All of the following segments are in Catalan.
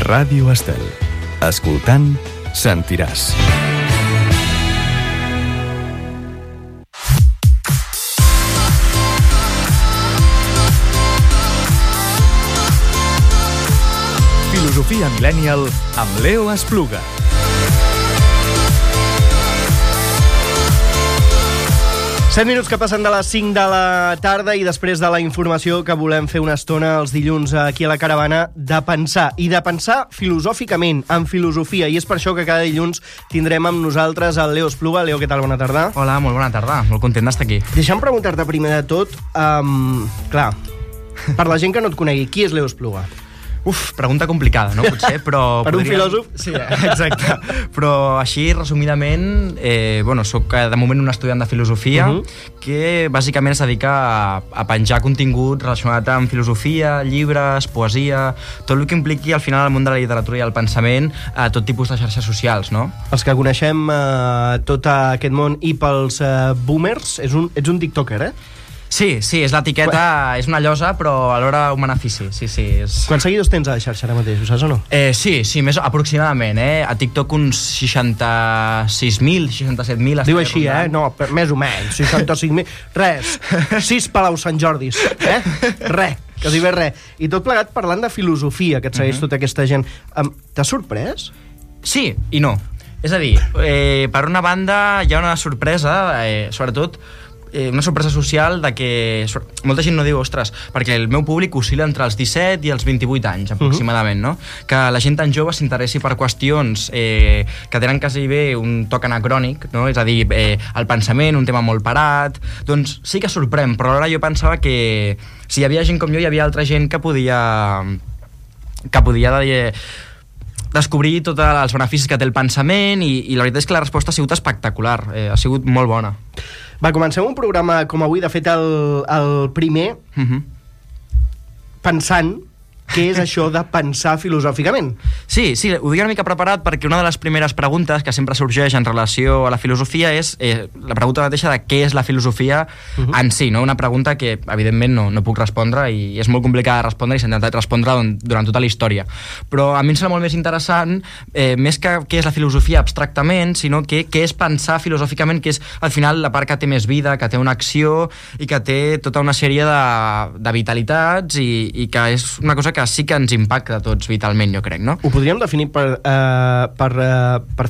Ràdio Estel. Escoltant, sentiràs. Filosofia Millennial amb Leo Espluga. Set minuts que passen de les 5 de la tarda i després de la informació que volem fer una estona els dilluns aquí a la caravana de pensar, i de pensar filosòficament, en filosofia, i és per això que cada dilluns tindrem amb nosaltres el Leo Espluga. Leo, què tal? Bona tarda. Hola, molt bona tarda, molt content d'estar aquí. Deixa'm preguntar-te primer de tot, clar, per la gent que no et conegui, qui és Leo Espluga? Pregunta complicada, no? Potser, però... Per un filòsof? Sí, exacte. Però així, resumidament, soc de moment un estudiant de filosofia que bàsicament es dedica a penjar contingut relacionat amb filosofia, llibres, poesia, tot el que impliqui al final el món de la literatura i el pensament a tot tipus de xarxes socials, no? Els que coneixem tot aquest món i pels boomers, ets un tiktoker, eh? Sí, és l'etiqueta, és una llosa, però alhora un benefici, sí. Quants seguidors tens a la xarxa ara mateix, ho saps o no? Sí, més aproximadament, A TikTok uns 66.000, 67.000... Diu així, No, més o menys, 65.000... Res, 6 Palau Sant Jordis, Res, quasi bé res. I tot plegat parlant de filosofia, que et segueix tota aquesta gent. T'has sorprès? Sí i no. És a dir, per una banda hi ha una sorpresa, sobretot una sorpresa social de que molta gent no diu, ostres, perquè el meu públic oscil·la entre els 17 i els 28 anys, aproximadament, no? Que la gent tan jove s'interessi per qüestions que tenen quasi bé un toc anacrònic, no? És a dir, el pensament, un tema molt parat, doncs sí que sorprèn, però alhora jo pensava que si hi havia gent com jo, hi havia altra gent que podia descobrir tots els beneficis que té el pensament, i la veritat és que la resposta ha sigut espectacular, ha sigut molt bona. Va, comencem un programa com avui, de fet el primer, pensant què és això de pensar filosòficament. Sí, ho dic una mica preparat perquè una de les primeres preguntes que sempre sorgeix en relació a la filosofia és la pregunta mateixa de què és la filosofia en si, no? Una pregunta que evidentment no puc respondre i és molt complicada de respondre i s'ha intentat respondre durant tota la història. Però a mi em sembla molt més interessant, més que què és la filosofia abstractament, sinó què és pensar filosòficament, que és al final la part que té més vida, que té una acció i que té tota una sèrie de vitalitats i que és una cosa que sí que ens impacta a tots vitalment, jo crec, no? Ho podríem definir per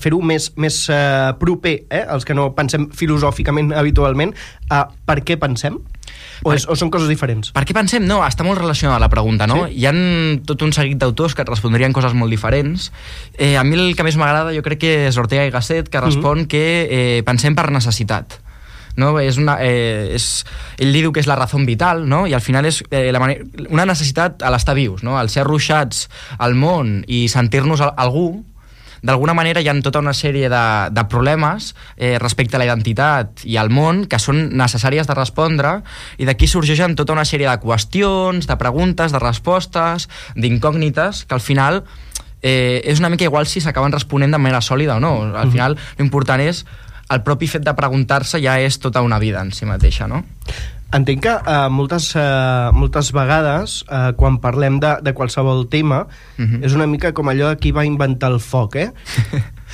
fer-ho més proper, els que no pensem filosòficament habitualment, per què pensem? O són coses diferents? Per què pensem? No, està molt relacionada la pregunta, no? Sí? Hi ha tot un seguit d'autors que et respondrien coses molt diferents. A mi el que més m'agrada jo crec que és Ortega y Gasset, que respon que pensem per necessitat. No? Ell diu que és la raó vital, no? I al final és una necessitat a l'estar vius, no? Al ser ruixats al món i sentir-nos algú, d'alguna manera hi ha tota una sèrie de problemes respecte a la identitat i al món que són necessàries de respondre, i d'aquí sorgeixen tota una sèrie de qüestions, de preguntes, de respostes, d'incògnites, que al final és una mica igual si s'acaben responent de manera sòlida o no. Al final l'important és el propi fet de preguntar-se ja és tota una vida en si mateixa, no? Entenc que moltes vegades, quan parlem de qualsevol tema, és una mica com allò de qui va inventar el foc,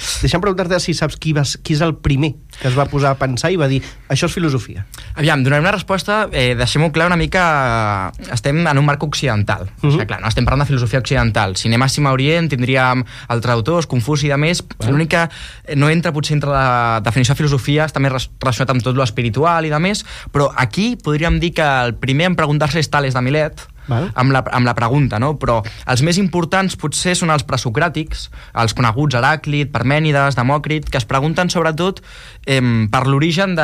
Deixa'm preguntar-te si saps qui és el primer que es va posar a pensar i va dir això és filosofia. Aviam, donarem una resposta, deixem-ho clar una mica, estem en un marc occidental. O sigui, clar, no estem parlant de filosofia occidental. Si anem a Cima Orient tindríem altres autors, Confuci i de més, l'únic que no entra potser entre la definició de filosofia, està més relacionat amb tot lo espiritual i de més, però aquí podríem dir que el primer en preguntar-se és Tales de Milet, amb la pregunta, no? Però els més importants potser són els presocràtics, els coneguts Heràclit, Parmènides, Demòcrit, que es pregunten sobretot per l'origen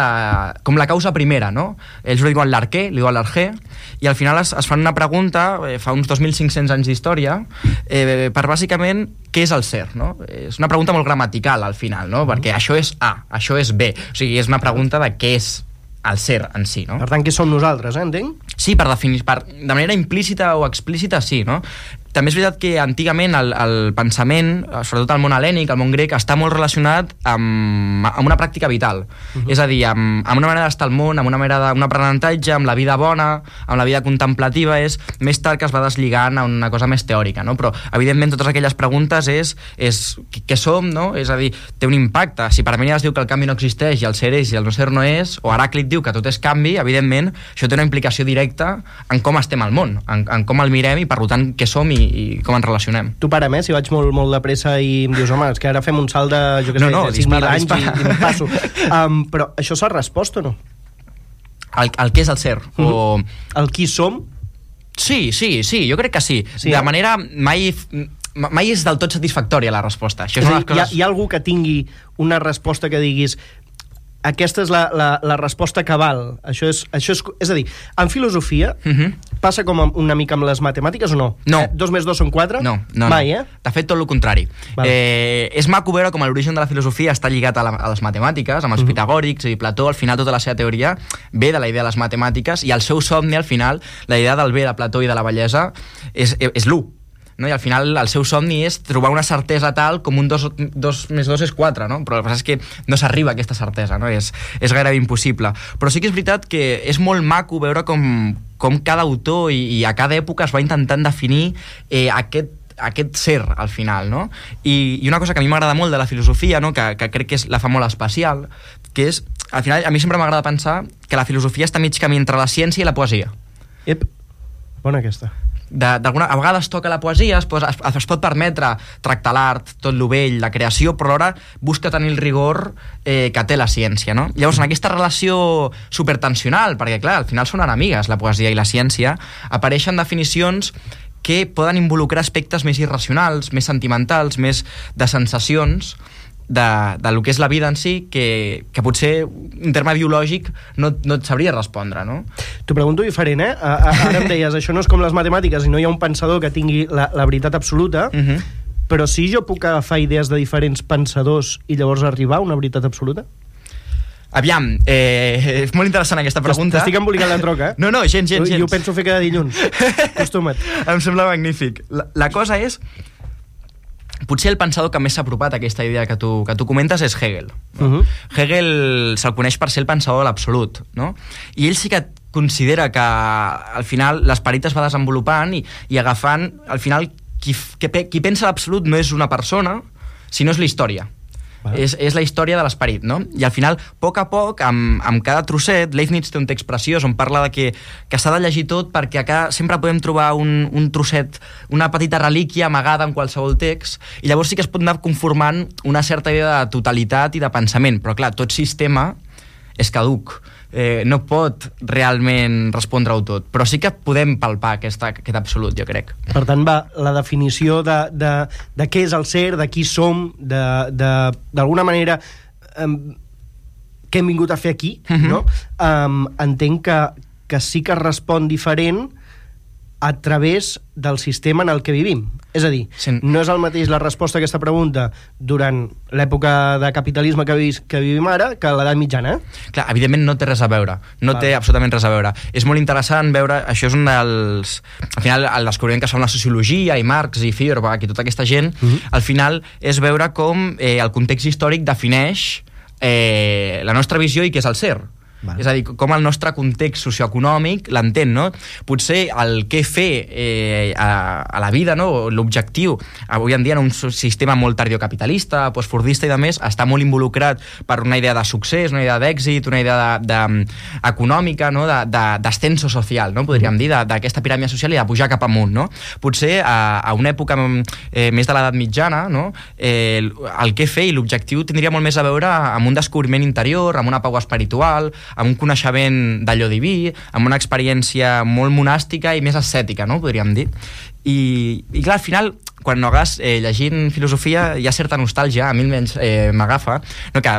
com la causa primera, no? Ells ho diuen l'arqué, li diuen l'argé, i al final es fan una pregunta, fa uns 2.500 anys d'història, per bàsicament què és el ser, no? És una pregunta molt gramatical al final, no? Perquè això és A, això és B, o sigui, és una pregunta de què és el ser en si, no? Per tant, què som nosaltres, entenc? Sí, per definir, de manera implícita o explícita, sí, no? també és veritat que antigament el pensament, sobretot el món hel·lènic, el món grec, està molt relacionat amb una pràctica vital. És a dir, amb una manera d'estar al món, amb una manera d'un aprenentatge, amb la vida bona, amb la vida contemplativa. És més tard que es va deslligant a una cosa més teòrica, no? Però, evidentment, totes aquelles preguntes és què som, no? És a dir, té un impacte. Si Parmènides diu que el canvi no existeix i el ser és i el no ser no és, o Heràclit diu que tot és canvi, evidentment, això té una implicació directa en com estem al món, en com el mirem i, per tant, què som i com ens relacionem. Tu para'm, si vaig molt de pressa i em dius, home, és que ara fem un salt de, jo què sé, de 5.000 anys i em passo. Però això s'ha respost o no? El què és el ser? O... El qui som? Sí, jo crec que sí. De manera mai és del tot satisfactòria la resposta. Això és coses... Hi ha algú que tingui una resposta que diguis aquesta és la resposta cabal. Això és a dir, en filosofia passa com una mica amb les matemàtiques o no? No. 2 més 2 són 4? No. Mai, De fet, tot el contrari. És maco veure com l'origen de la filosofia està lligat a les matemàtiques, amb els pitagòrics i Plató. Al final, tota la seva teoria ve de la idea de les matemàtiques i el seu somni, al final, la idea del bé de Plató i de la bellesa és l'1. No? I al final el seu somni és trobar una certesa tal com un 2 més 2 és 4, no? Però el que passa és que no s'arriba a aquesta certesa, no? És gairebé impossible. Però sí que és veritat que és molt maco veure com cada autor i a cada època es va intentant definir aquest ser, al final, no? I una cosa que a mi m'agrada molt de la filosofia, no? que crec que la fa molt especial, que és, al final, a mi sempre m'agrada pensar que la filosofia està mig camí entre la ciència i la poesia. Bona aquesta. A vegades toca la poesia, es pot permetre tractar l'art, tot lo vell, la creació, però alhora busca tenir el rigor que té la ciència, no? Llavors, en aquesta relació supertensional, perquè clar, al final són enemigues la poesia i la ciència, apareixen definicions que poden involucrar aspectes més irracionals, més sentimentals, més de sensacions de lo que és la vida en si, que potser en terme biològic no et sabria respondre, no? T'ho pregunto diferent, Ara em deies, això no és com les matemàtiques i no hi ha un pensador que tingui la veritat absoluta, però sí jo puc agafar idees de diferents pensadors i llavors arribar a una veritat absoluta? Aviam, és molt interessant aquesta pregunta. T'estic embolicant la troca, No, gens. Jo ho penso fer cada dilluns. Acostuma't. Em sembla magnífic. La cosa és... Potser el pensador que més s'ha apropat a aquesta idea que tu comentes és Hegel. Hegel se'l coneix per ser el pensador de l'absolut, no? I ell sí que considera que al final l'esperit es va desenvolupant i agafant, al final, qui pensa l'absolut no és una persona, sinó és la història. És la història de l'esperit, no? I al final, a poc, amb cada trosset, Leibniz té un text preciós on parla de que s'ha de llegir tot perquè sempre podem trobar un trosset, una petita relíquia amagada en qualsevol text, i llavors sí que es pot anar conformant una certa idea de totalitat i de pensament, però clar, tot sistema és caduc. No pot realment respondre-ho tot, però sí que podem palpar aquest absolut, jo crec. Per tant, la definició de què és el ser, de qui som, d'alguna manera què hem vingut a fer aquí, no? Entenc que sí que respon diferent a través del sistema en el que vivim. És a dir, no és el mateix la resposta a aquesta pregunta durant l'època de capitalisme que vivim ara que a l'edat mitjana. Clar, evidentment no té res a veure. Té absolutament res a veure. És molt interessant veure... Això és un dels... Al final, el descobriment que es fa amb la sociologia i Marx i Feuerbach i tota aquesta gent, al final és veure com el context històric defineix la nostra visió i què és el ser. És a dir, com el nostre context socioeconòmic l'entén, no? Potser el què fer a la vida, no? L'objectiu, avui en dia en un sistema molt tardiocapitalista, postfordista i demés, està molt involucrat per una idea de succés, una idea d'èxit, una idea econòmica, no? D'ascenso social, no? Podríem dir, d'aquesta piràmide social i de pujar cap amunt, no? Potser a una època més de l'edat mitjana, no? El què fer i l'objectiu tindria molt més a veure amb un descobriment interior, amb una pau espiritual, amb un coneixement d'allò diví, amb una experiència molt monàstica i més ascètica, no? Podríem dir. I clar, al final, quan no hagués llegint filosofia, hi ha certa nostàlgia, a mi almenys m'agafa, no? Que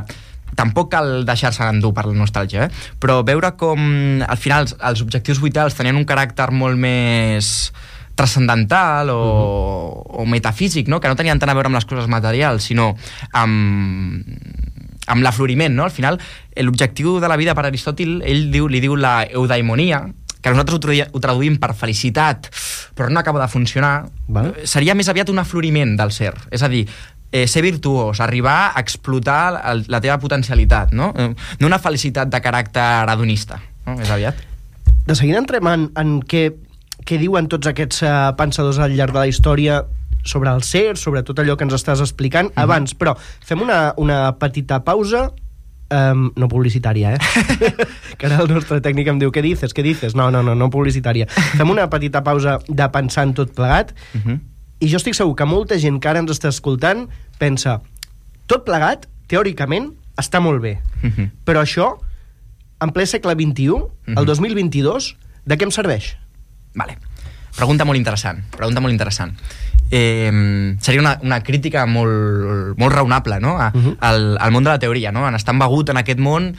tampoc cal deixar-se endur per la nostàlgia, però veure com al final els objectius vitals tenien un caràcter molt més transcendental o metafísic, no? Que no tenien tant a veure amb les coses materials, sinó amb l'afloriment, no? Al final, l'objectiu de la vida per Aristòtil, ell li diu la eudaimonia, que nosaltres ho traduïm per felicitat, però no acaba de funcionar, seria més aviat un afloriment del ser. És a dir, ser virtuós, arribar a explotar la teva potencialitat, no? No una felicitat de caràcter hedonista, no? És aviat. De seguida entrem en què diuen tots aquests pensadors al llarg de la història sobre el ser, sobre tot allò que ens estàs explicant abans, però fem una petita pausa, no publicitària, que ara el nostre tècnic em diu, què dices? No publicitària. Fem una petita pausa de pensar en tot plegat, i jo estic segur que molta gent que ara ens està escoltant pensa, tot plegat, teòricament, està molt bé, però això, en ple segle XXI, el 2022, de què em serveix? Vale. Pregunta molt interessant. Seria una crítica molt raonable, no? al món de la teoria, no? En estar embegut en aquest món,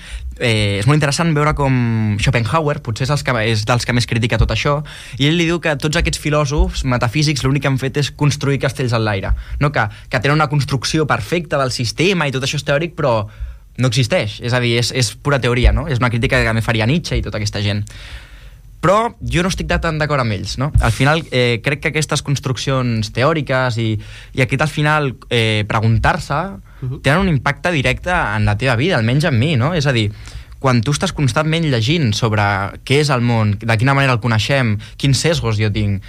és molt interessant veure com Schopenhauer potser és dels que més critica tot això, i ell li diu que tots aquests filòsofs metafísics l'únic que han fet és construir castells en l'aire, no? que tenen una construcció perfecta del sistema i tot això és teòric, però no existeix, és a dir, és pura teoria, no? És una crítica que també faria Nietzsche i tota aquesta gent. Però jo no estic tan d'acord amb ells, no? Al final, crec que aquestes construccions teòriques i aquest, al final, preguntar-se, tenen un impacte directe en la teva vida, almenys en mi, no? És a dir, quan tu estàs constantment llegint sobre què és el món, de quina manera el coneixem, quins sesgos jo tinc,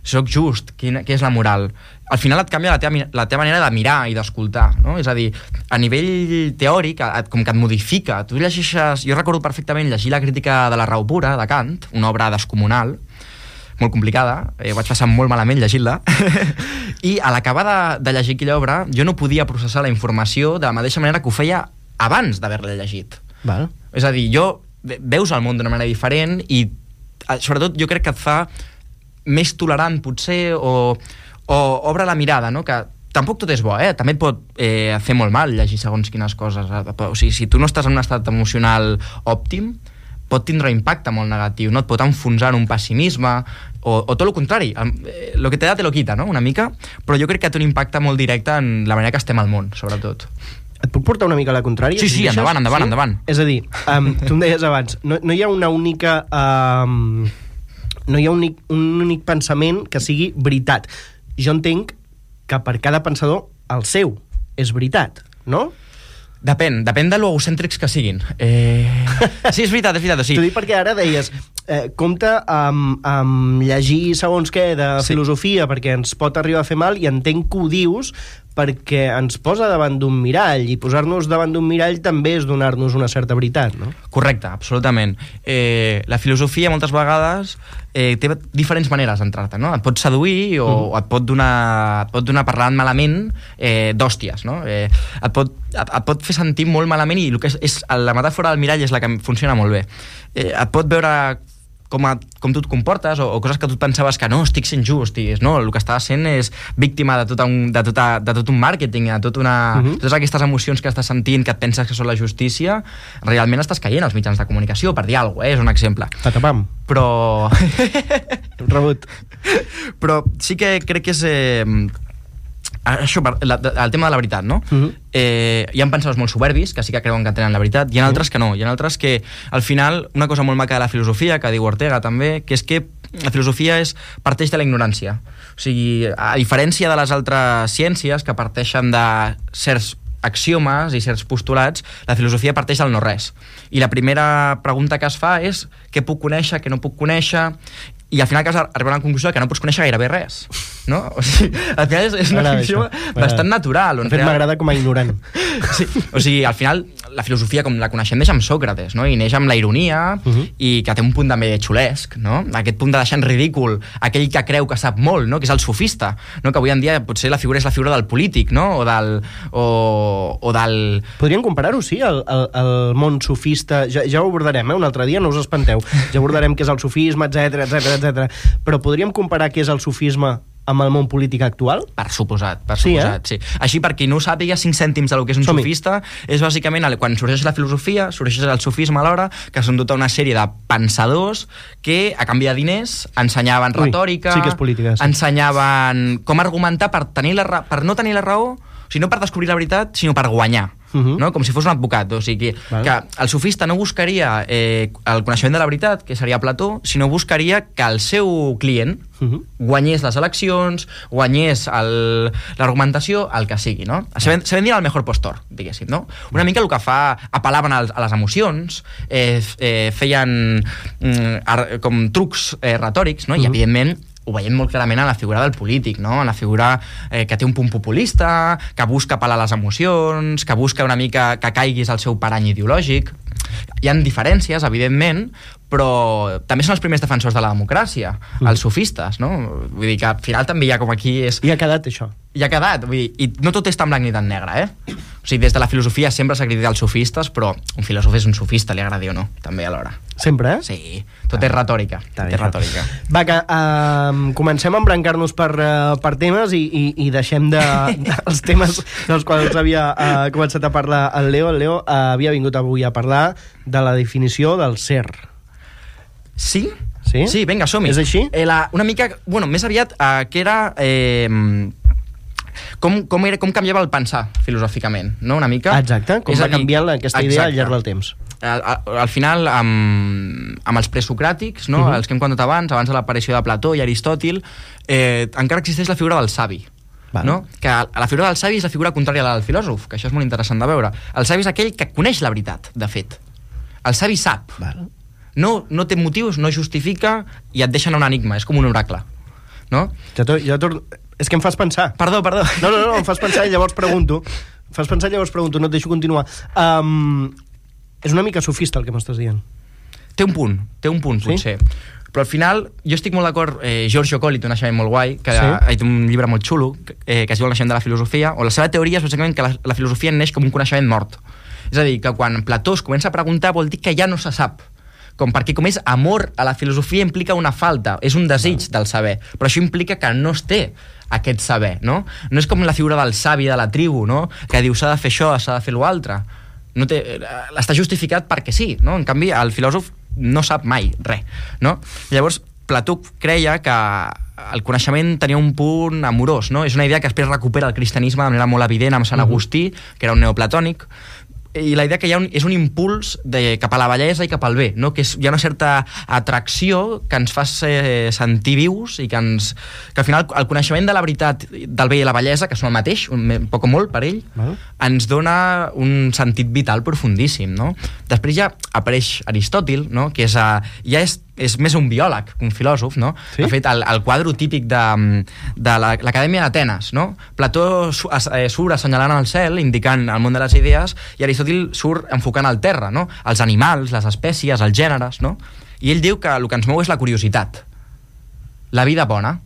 soc just, què és la moral, al final et canvia la teva manera de mirar i d'escoltar, no? És a dir, a nivell teòric, com que et modifica. Tu llegeixes... Jo recordo perfectament llegir la crítica de la raó pura, de Kant, una obra descomunal, molt complicada, vaig passar molt malament llegint-la, i a l'acabar de llegir aquella obra jo no podia processar la informació de la mateixa manera que ho feia abans d'haver-la llegit. Val. És a dir, veus el món d'una manera diferent i, sobretot, jo crec que et fa més tolerant, potser, o obre la mirada, no? Que tampoc tot és bo, també et pot fer molt mal llegir segons quines coses. O sigui, si tu no estàs en un estat emocional òptim, pot tindre un impacte molt negatiu, no? Et pot enfonsar en un pessimisme, o tot el contrari, lo que te da te lo quita, no? Una mica, però jo crec que té un impacte molt directe en la manera que estem al món, sobretot. Et puc portar una mica a la contrària? Sí, endavant. És a dir, tu em deies abans, no hi ha una única... no hi ha un únic pensament que sigui veritat. Jo entenc que per cada pensador el seu és veritat, no? Depèn de lo egocèntrics que siguin. Sí, és veritat. O sigui... T'ho dic perquè ara deies, compte amb llegir segons què de filosofia perquè ens pot arribar a fer mal, i entenc que ho dius perquè ens posa davant d'un mirall, i posar-nos davant d'un mirall també és donar-nos una certa veritat, no? Correcte, absolutament. La filosofia moltes vegades té diferents maneres d'entrar-te, no? Et pot seduir o et pot donar parlant malament d'hòsties, no? Et pot fer sentir molt malament, i el que és la metàfora del mirall és la que funciona molt bé. Et pot veure com tu et comportes, o coses que tu et pensaves que no, estic sent just, i no, el que estàs sent és víctima de tot un màrqueting, de totes aquestes emocions que estàs sentint, que et penses que són la justícia, realment estàs caient als mitjans de comunicació, per dir alguna cosa, és un exemple. Patapam. Però... Rebut. Però sí que crec que és... Això, el tema de la veritat, no? Hi ha pensadors molt soberbis que sí que creuen que tenen la veritat, hi ha altres que no, hi ha altres que al final, una cosa molt maca de la filosofia, que diu Ortega també, que és que la filosofia parteix de la ignorància. O sigui, a diferència de les altres ciències que parteixen de certs axiomes i certs postulats, la filosofia parteix del no-res. I la primera pregunta que es fa és què puc conèixer, què no puc conèixer, i al final arribar a una conclusió que no pots conèixer gairebé res, no? O sigui, al final és una conclusió bastant natural. De fet, m'agrada com a ignorant. Sí, o sigui, al final la filosofia com la coneixem neix amb Sòcrates, no? I neix amb la ironia, i que té un punt també xulesc, no? Aquest punt de deixar en ridícul aquell que creu que sap molt, no? Que és el sofista, no? Que avui en dia potser la figura és la figura del polític, no? O del... Podríem comparar-ho, sí, el món sofista. Ja ho abordarem, un altre dia, no us espanteu. Ja abordarem què és el sofisme, etc. Però podríem comparar què és el sofisme amb el món polític actual? Per suposat, sí. Així, per qui no ho sàpiga, 5 cèntims del que és un sofista és bàsicament, quan sorgeix la filosofia, sorgeix el sofisme alhora, que són tota una sèrie de pensadors que, a canvi de diners, ensenyaven retòrica, sí que és política, sí. Ensenyaven com argumentar per no tenir la raó, o sigui, no per descobrir la veritat, sinó per guanyar. no? Com si fos un advocat. O sigui, que el sofista no buscaria el coneixement de la veritat, que seria Plató, sinó buscaria que el seu client guanyés les eleccions, guanyés l'argumentació, el que sigui, no? Se vendien al mejor postor, diguéssim, no? Una mica el que fa, apel·laven a les emocions, feien com trucs retòrics, no? I evidentment ho veiem molt clarament en la figura del polític, no? En la figura que té un punt populista, que busca apel·lar a les emocions, que busca una mica que caiguis al seu parany ideològic. Hi ha diferències, evidentment, però també són els primers defensors de la democràcia, els sofistes, no? Vull dir que al final també hi ha com aquí... I ha quedat això. I ha quedat, vull dir, i no tot és tan blanc ni tan negre, O sigui, des de la filosofia sempre s'ha criticat els sofistes, però un filòsof és un sofista, li agradi o no, també alhora. Sempre, Sí, tot és retòrica. Tot és retòrica. Va, que comencem a embrancar-nos per temes i deixem els temes dels quals havia començat a parlar el Leo. El Leo havia vingut avui a parlar de la definició del ser. Sí? Sí? Sí, vinga, som-hi. És així? Una mica, bueno, més aviat que era... Com canviava el pensar filosòficament, no? Una mica. Exacte, com va canviant aquesta idea al llarg del temps. Al final, amb els presocràtics, no? Els que hem contat abans de l'aparició de Plató i Aristòtil, encara existeix la figura del savi. No? Que la figura del savi és la figura contrària a la del filòsof, que això és molt interessant de veure. El savi és aquell que coneix la veritat, de fet. El savi sap. No té motius, no justifica i et deixa en un enigma, és com un oracle. No? És que em fas pensar. Perdó. No, em fas pensar i llavors pregunto. No et deixo continuar. És una mica sofista el que m'estàs dient. Té un punt, potser. Però al final, jo estic molt d'acord, Giorgio Colli té un naixement molt guai, que té un llibre molt xulo, que es diu El naixement de la filosofia, on la seva teoria és bàsicament que la filosofia neix com un coneixement mort. És a dir, que quan Plató es comença a preguntar vol dir que ja no se sap. Perquè com és amor a la filosofia implica una falta, és un desig del saber, però això implica que no es té aquest saber, no? No és com la figura del savi de la tribu, no? Que diu s'ha de fer això, s'ha de fer l'altre. Està justificat perquè sí, no? En canvi, el filòsof no sap mai res, no? Llavors, Plató creia que el coneixement tenia un punt amorós, no? És una idea que després recupera el cristianisme de manera molt evident amb Sant Agustí, que era un neoplatònic, i la idea que és un impuls cap a la bellesa i cap al bé, no? Que hi ha una certa atracció que ens fa sentir vius i que al final el coneixement de la veritat, del bé i la bellesa, que són el mateix, poc o molt per ell, ens dona un sentit vital profundíssim, no? Després ja apareix Aristòtil, no? Que ja és més un biòleg que un filòsof, no? Sí? De fet, el quadre típic de l'Acadèmia d'Atenes, no? Plató surt assenyalant el cel, indicant el món de les idees, i Aristòtil surt enfocant el terra, no? Els animals, les espècies, els gèneres, no? I ell diu que el que ens mou és la curiositat, la vida bona,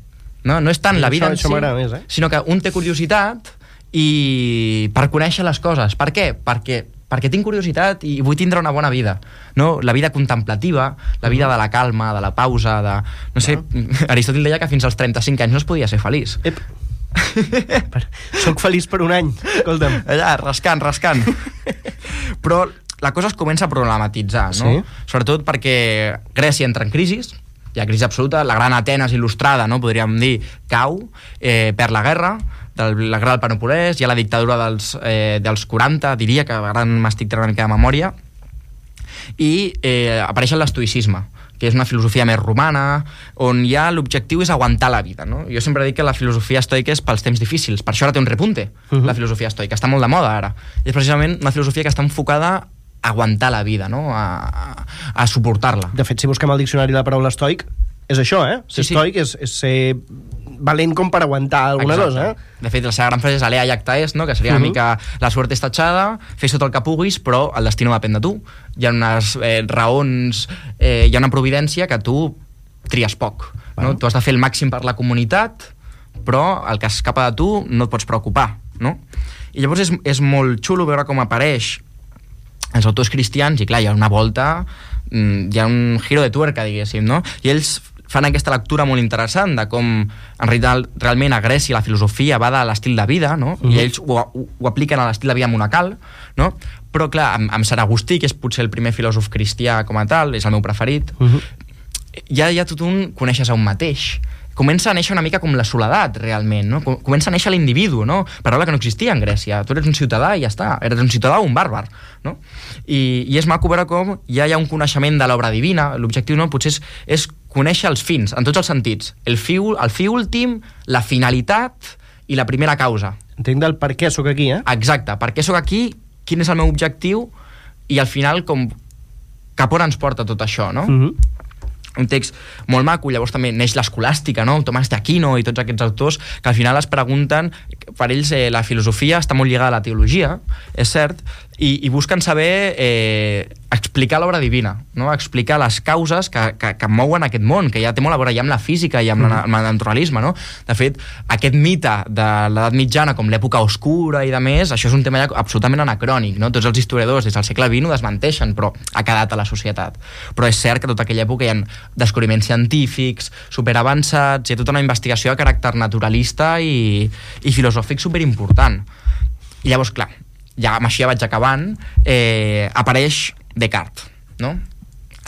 no? No és tant la vida en si, més, sinó que un té curiositat i per conèixer les coses. Per què? Perquè tinc curiositat i vull tindre una bona vida, no? La vida contemplativa, la vida de la calma, de la pausa, no sé, Aristòtil deia que fins als 35 anys no es podia ser feliç. Soc feliç per un any, escolta'm. Allà, rascant. Però la cosa es comença a problematitzar, no? Sí? Sobretot perquè Grècia entra en crisi, hi ha crisi absoluta, la gran Atenes il·lustrada, no? Podríem dir, cau, perd la guerra, la guerra del Peloponnès, hi ha la dictadura dels 40, diria que ara m'estic tenint una mica de memòria, i apareix l'estoïcisme, que és una filosofia més romana, on ja l'objectiu és aguantar la vida, no? Jo sempre dic que la filosofia estoica és pels temps difícils, per això ara té un repunte, la filosofia estoica, està molt de moda ara, i és precisament una filosofia que està enfocada a aguantar la vida, no? A suportar-la. De fet, si busquem al diccionari la paraula estoic, és això, Ser estoic és ser valent com per aguantar alguna cosa, De fet, la seva gran frase és alea iacta est, no? Que seria una mica la suerte està tachada, fes tot el que puguis, però el destí no depèn de tu. Hi ha unes raons, hi ha una providència que tu tries poc, no? Tu has de fer el màxim per la comunitat, però el que escapa de tu no et pots preocupar, no? I llavors és molt xulo veure com apareix els autors cristians, i clar, hi ha una volta, hi ha un giro de tuerca, diguéssim, no? I ells fan aquesta lectura molt interessant de com en realitat realment a Grècia la filosofia va de l'estil de vida, no? I ells ho apliquen a l'estil de vida monacal, no? Però clar, amb Sant Agustí, que és potser el primer filòsof cristià com a tal, és el meu preferit, ja tot un coneixes a un mateix, comença a néixer una mica com la soledat, realment, no? Comença a néixer l'individu, no? Paraula que no existia en Grècia. Tu eres un ciutadà i ja està. Eres un ciutadà o un bàrbar, no? I és maco veure com ja hi ha un coneixement de l'obra divina. L'objectiu, no? Potser és conèixer els fins, en tots els sentits. El fi últim, la finalitat i la primera causa. Entenc del per què sóc aquí, Exacte. Per què sóc aquí, quin és el meu objectiu i al final cap on ens porta tot això, no? Un text molt maco, llavors també neix l'escolàstica, no? Tomàs d'Aquino i tots aquests autors que al final es pregunten, per ells la filosofia està molt lligada a la teologia, és cert, i busquen saber explicar l'obra divina, no? Explicar les causes que mouen aquest món, que ja té molt a veure ja amb la física i amb el naturalisme, no? De fet, aquest mite de l'edat mitjana com l'època oscura i de més, això és un tema ja absolutament anacrònic, no? Tots els historiadors des del segle XX ho desmenteixen, però ha quedat a la societat. Però és cert que tota aquella època hi ha descobriments científics superavançats, hi ha tota una investigació de caràcter naturalista i filosòfic superimportant. I llavors, clar, ja amb això ja vaig acabant, apareix Descartes, no?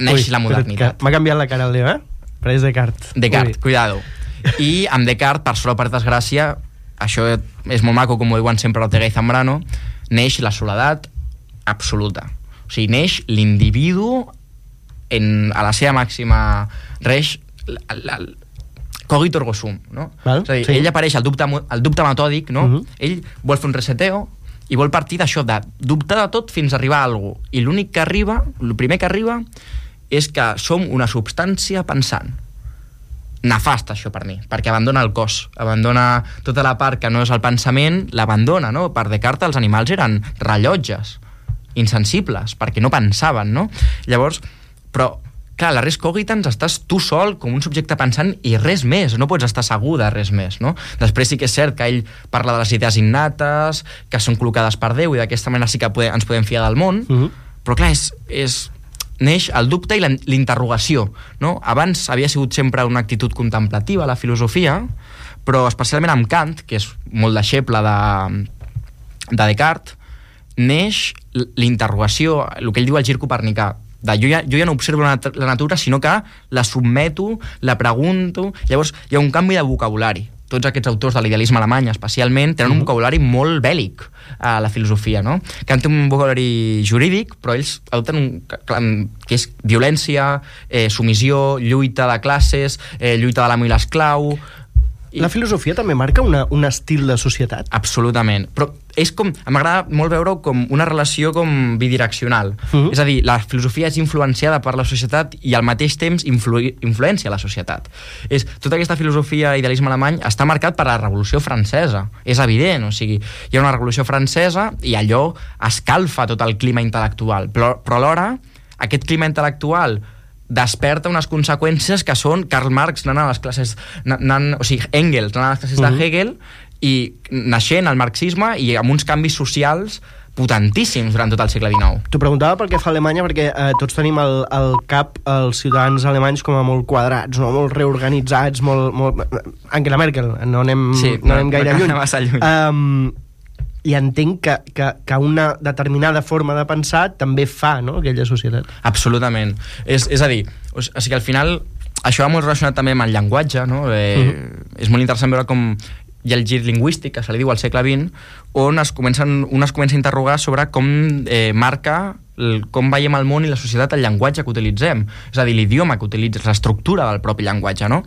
Neix la modernitat. M'ha canviat la cara el Leo, Apareix Descartes. Descartes, cuidado. I amb Descartes, per sort o per desgràcia, això és molt maco, com ho diuen sempre Ortega i Zambrano, neix la soledat absoluta. O sigui, neix l'individu a la seva màxima reix, cogito ergo sum, no? És a dir, ell apareix el dubte metòdic, no? Ell vol fer un reseteo i vol partir d'això, de dubtar de tot fins a arribar a alguna cosa. I el primer que arriba és que som una substància pensant. Nefast, això, per mi, perquè abandona el cos, abandona tota la part que no és el pensament, l'abandona, no? Per Descartes els animals eren rellotges, insensibles, perquè no pensaven, no? Llavors, però clar, la res cogitans estàs tu sol com un subjecte pensant i res més, no pots estar segur de res més, no? Després sí que és cert que ell parla de les idees innates, que són col·locades per Déu i d'aquesta manera sí que ens podem fiar del món, però clar, neix el dubte i l'interrogació, no? Abans havia sigut sempre una actitud contemplativa la filosofia, però especialment amb Kant, que és molt deixeble de Descartes, neix l'interrogació, el que ell diu el gir copernicà, jo ja no observo la natura, sinó que la submeto, la pregunto. Llavors hi ha un canvi de vocabulari. Tots aquests autors de l'idealisme alemany, especialment, tenen un vocabulari molt bèl·lic a la filosofia, no? Kant té un vocabulari jurídic, però ells adopten que és violència, submissió, lluita de classes, lluita de l'amo i l'esclau. La filosofia també marca un estil de societat? Absolutament, però és com, m'agrada molt veure-ho com una relació com bidireccional. És a dir, la filosofia és influenciada per la societat i al mateix temps influencia la societat. Tota aquesta filosofia idealisme alemany està marcat per la Revolució Francesa, és evident, o sigui, hi ha una Revolució Francesa i allò escalfa tot el clima intel·lectual, però alhora aquest clima intel·lectual desperta unes conseqüències que són Karl Marx anant a les classes, o sigui, Engels anant a les classes de Hegel i naixent el marxisme i amb uns canvis socials potentíssims durant tot el segle XIX. T'ho preguntava pel que fa a Alemanya perquè tots tenim al cap els ciutadans alemanys com a molt quadrats, no? Molt reorganitzats, molt... Angela Merkel, no anem gaire lluny. I entenc que una determinada forma de pensar també fa, no?, aquella societat. Absolutament. És a dir, o sigui, al final això va molt relacionat també amb el llenguatge, no? És molt interessant veure com hi ha el gir lingüístic, que se li diu al segle XX, on es comença a interrogar sobre com marca com veiem el món i la societat el llenguatge que utilitzem, és a dir, l'idioma que utilitzes, l'estructura del propi llenguatge, no?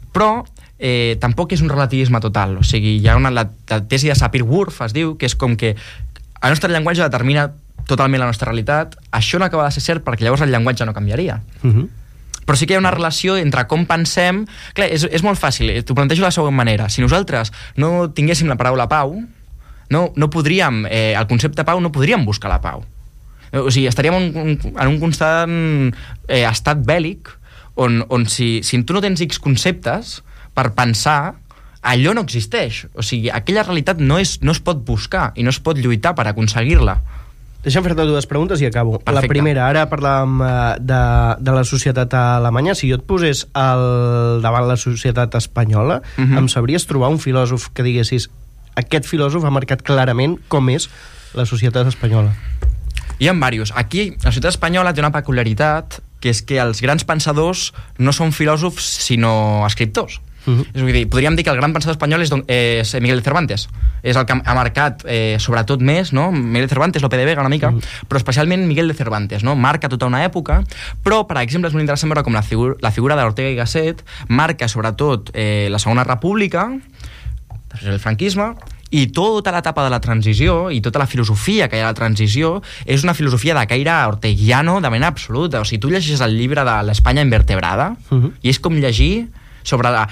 Però tampoc és un relativisme total, o sigui, hi ha la tesi de Sapir-Whorf, es diu, que és com que el nostre llenguatge determina totalment la nostra realitat. Això no acaba de ser cert perquè llavors el llenguatge no canviaria. Però sí que hi ha una relació entre com pensem. Clar, és molt fàcil, t'ho plantejo de la següent manera. Si nosaltres no tinguéssim la paraula pau, no podríem, el concepte pau no podríem buscar la pau. O sigui, estaríem en un constant estat bèl·lic on si tu no tens X conceptes per pensar, allò no existeix. O sigui, aquella realitat no es pot buscar i no es pot lluitar per aconseguir-la. Deixa'm fer-te dues preguntes i acabo. Perfecte. La primera, ara parlàvem de la societat alemanya. Si jo et posés davant la societat espanyola, em sabries trobar un filòsof que diguessis aquest filòsof ha marcat clarament com és la societat espanyola? Hi ha diversos. Aquí, la societat espanyola té una peculiaritat, que és que els grans pensadors no són filòsofs, sinó escriptors. És a dir, podríem dir que el gran pensador espanyol és Miguel de Cervantes. És el que ha marcat, sobretot més, no? Miguel de Cervantes, Lope de Vega una mica, però especialment Miguel de Cervantes, no? Marca tota una època, però, per exemple, és molt interessant veure com la figura d'Ortega y Gasset marca, sobretot, la Segona República, després el franquisme, i tota l'etapa de la transició i tota la filosofia que hi ha a la transició és una filosofia de caire orteguiano de manera absoluta. O sigui, tu llegeixes el llibre de l'Espanya invertebrada i és com llegir sobre la...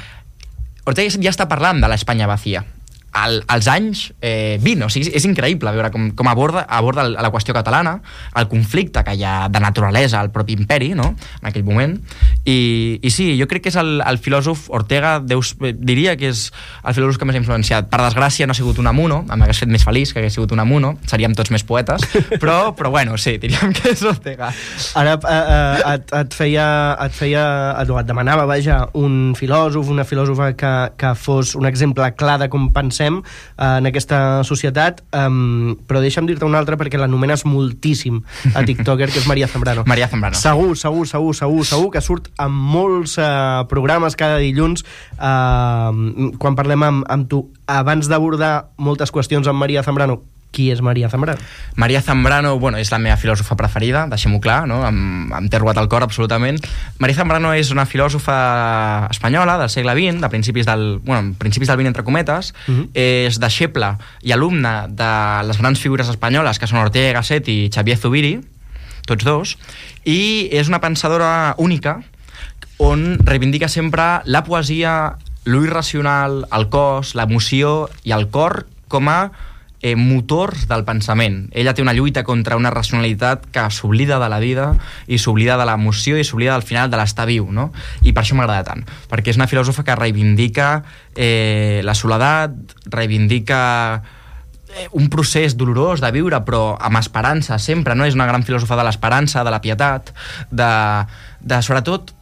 Ortega ja està parlant de l'Espanya vacía als anys 20, o sigui, és increïble veure com aborda la qüestió catalana, el conflicte que hi ha de naturalesa al propi imperi, no?, en aquell moment, i sí, jo crec que és el filòsof Ortega, diria que és el filòsof que més ha influenciat. Per desgràcia no ha sigut Unamuno, m'hagués fet més feliç que hagués sigut Unamuno, seríem tots més poetes, però bueno, sí, diríem que és Ortega. Ara et demanava, vaja, un filòsof, una filòsofa que fos un exemple clar de com pensem en aquesta societat, però deixa'm dir-te una altra perquè l'anomenes moltíssim a TikToker, que és María Zambrano. María Zambrano. Segur que surt en molts programes cada dilluns quan parlem amb tu. Abans d'abordar moltes qüestions amb María Zambrano, qui és María Zambrano? María Zambrano, bueno, és la meva filòsofa preferida, deixem-ho clar, no? Em té robat el cor absolutament. María Zambrano és una filòsofa espanyola del segle XX, de principis del 20 entre cometes, és deixeble i alumne de les grans figures espanyoles que són Ortega y Gasset i Xavier Zubiri, tots dos, i és una pensadora única on reivindica sempre la poesia, lo irracional, el cos, l'emoció i el cor com a motors del pensament. Ella té una lluita contra una racionalitat que s'oblida de la vida i s'oblida de l'emoció i s'oblida al final de l'estar viu, no? I per això m'agrada tant, perquè és una filòsofa que reivindica la soledat, reivindica un procés dolorós de viure però amb esperança sempre, no? És una gran filòsofa de l'esperança, de la pietat, de sobretot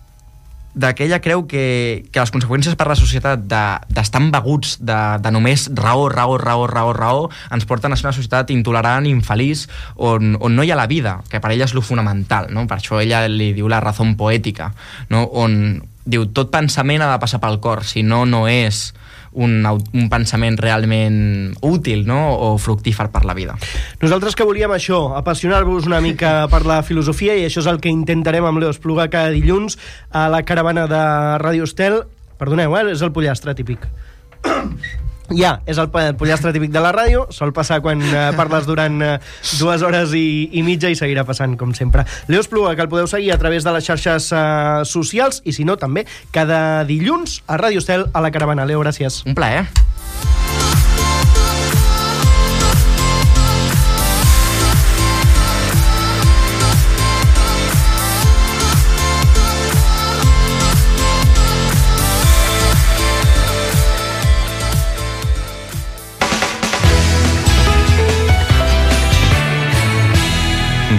que ella creu que les conseqüències per a la societat d'estar embeguts de només raó ens porten a ser una societat intolerant i infeliç on no hi ha la vida, que per ella és lo fonamental, no? Per això ella li diu la razón poètica, no? On diu tot pensament ha de passar pel cor, si no és un pensament realment útil, no? O fructífer per la vida. Nosaltres que volíem això, apassionar-vos una mica per la filosofia, i això és el que intentarem amb Leo Espluga cada dilluns a la caravana de Ràdio Estel. Perdoneu, és el pollastre típic. Ja, és el pollastre típic de la ràdio, sol passar quan parles durant 2 hores i mitja i seguirà passant com sempre. Leo Espluga, que el podeu seguir a través de les xarxes socials i si no també cada dilluns a Ràdio Estel a la caravana. Leo, gràcies. Un plaer.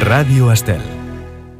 Ràdio Estel.